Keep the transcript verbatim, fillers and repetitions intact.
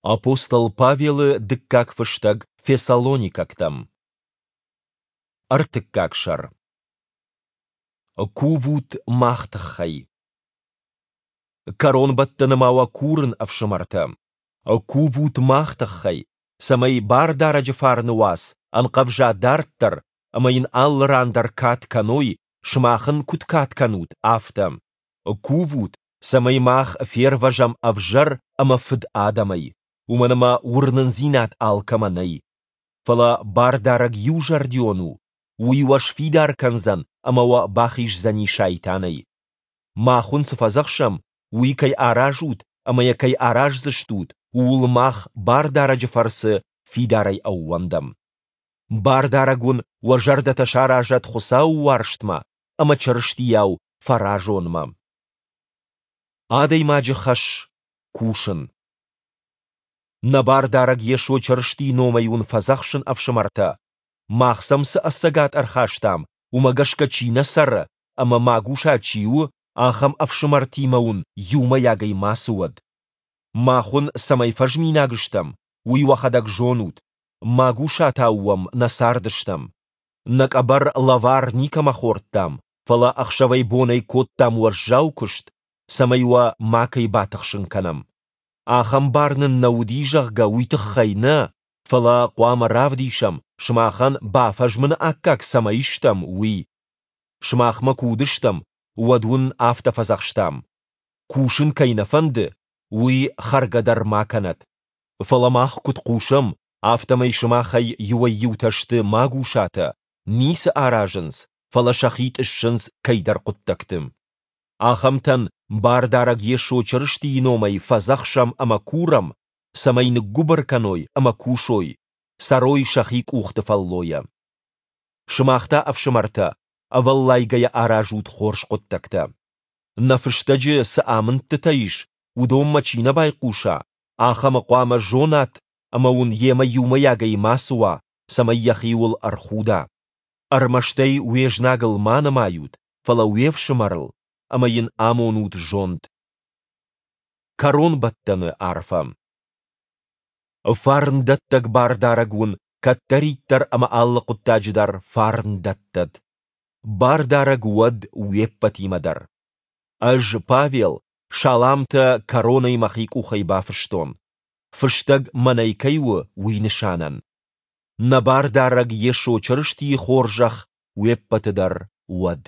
Апостол Павелы дыккаг фыстӕг Фессалоникӕгтӕм. Ӕртыккаг сӕр. Кувут мах тыххӕй. Кӕронбӕттӕны ма уӕ курын, ӕфсымӕртӕ, кувут мах тыххӕй, цӕмӕй Бардарӕджы фарны уац ӕнхъӕвза дарддӕр ӕмӕ йын алы ран дӕр кад кӕной, сымах ын куыд кад кӕнут, афтӕ. Кувут, цӕмӕй мах фервӕзӕм ӕвзӕр ӕмӕ фыд адӕмӕй, уымӕн ӕмӕ уырнындзинад алкӕмӕ нӕй. Фӕлӕ Бардарӕг иузӕрдион у, Уый уӕ сфидар кӕндзӕн ӕмӕ уӕ бахиздзӕни сайтанӕй. Мах уын цы фӕдзӕхсӕм, уый кӕй аразут ӕмӕ йӕ кӕй араздзыстут, ууыл мах Бардарӕджы фӕрцы фидарӕй ӕууӕндӕм. Бардарӕг уын уӕ зӕрдӕтӕ саразӕд Хуыцауы уарзтмӕ ӕмӕ Чырыстийау фӕразонмӕ. Адӕймаджы хӕс – кусын. Нӕ Бардарӕг Йесо Чырыстийы номӕй уын фӕдзӕхсын, ӕфсымӕртӕ, мах сӕм цы ӕцӕгад ӕрхастам, уымӕ гӕсгӕ чи нӕ цӕры ӕмӕ магуса чи у, ахӕм ӕфсымӕртимӕ уын иумӕйагӕй мацы уӕд. Мах уын цӕмӕй фӕзминаг стӕм, уый уӕхӕдӕг зонут, магусатау уӕм нӕ цардыстӕм. Нӕ къӕбӕр лӕвар никӕмӕ хордтам, фӕлӕ ӕхсӕвӕй-бонӕй кодтам уӕззау куыст, цӕмӕй уӕ макӕй батыхсын кӕнӕм. Ахӕм бар нын нӕ уыди, зӕгъгӕ, уый тыххӕй нӕ, фӕлӕ хъуамӕ равдисӕм, сымахӕн бафӕзмыны аккаг цӕмӕй стӕм, уый. Сымахмӕ куы уыдыстӕм, уӕд уын афтӕ фӕдзӕхстам: кусын кӕй нӕ фӕнды, уый хӕргӕ дӕр ма кӕнӕд. Фӕлӕ мах куыд хъусӕм, афтӕмӕй сымахӕй иуӕй-иутӕ сты магусатӕ, ницы аразынц, фӕлӕ сӕхи тъыссынц кӕйдӕр хъуыддӕгты. Ахӕмтӕн Бардарӕг Йесо Чырыстийы номӕй фӕдзӕхсӕм ӕмӕ курӕм, цӕмӕй ныггуыбыр кӕной ӕмӕ кусой, цӕрой сӕхи къухты фӕллойӕ. Сымах та, ӕфсымӕртӕ, ӕвӕллайгӕйӕ аразут хорз хъуыддӕгтӕ. Нӕ фыстӕджы цы амындтытӕ ис, уыдонмӕ чи нӕ байхъуса, ахӕмы хъуамӕ зонат ӕмӕ уын йемӕ иумӕйагӕй мацы уа, цӕмӕй йӕхиуыл ӕрхуда. Ӕрмӕст ӕй уе знагыл ма нымайут, фӕлӕ уе фсымӕрыл, ӕмӕ йын амонут зонд. Кӕронбӕттӕны арфӕ. Фарндӕттӕг Бардарӕг уын кӕддӕриддӕр ӕмӕ алы хъуыддаджы дӕр фарн дӕттӕд. Бардарӕг уӕд уе ппӕтимӕ дӕр. Ӕз, Павел, саламтӕ кӕронӕй мӕхи къухӕй бафыстон. Фыстӕг мӕнӕй кӕй у, уый нысанӕн. Нӕ Бардарӕг Йесо Чырыстийы хорзӕх уе ппӕты дӕр уӕд.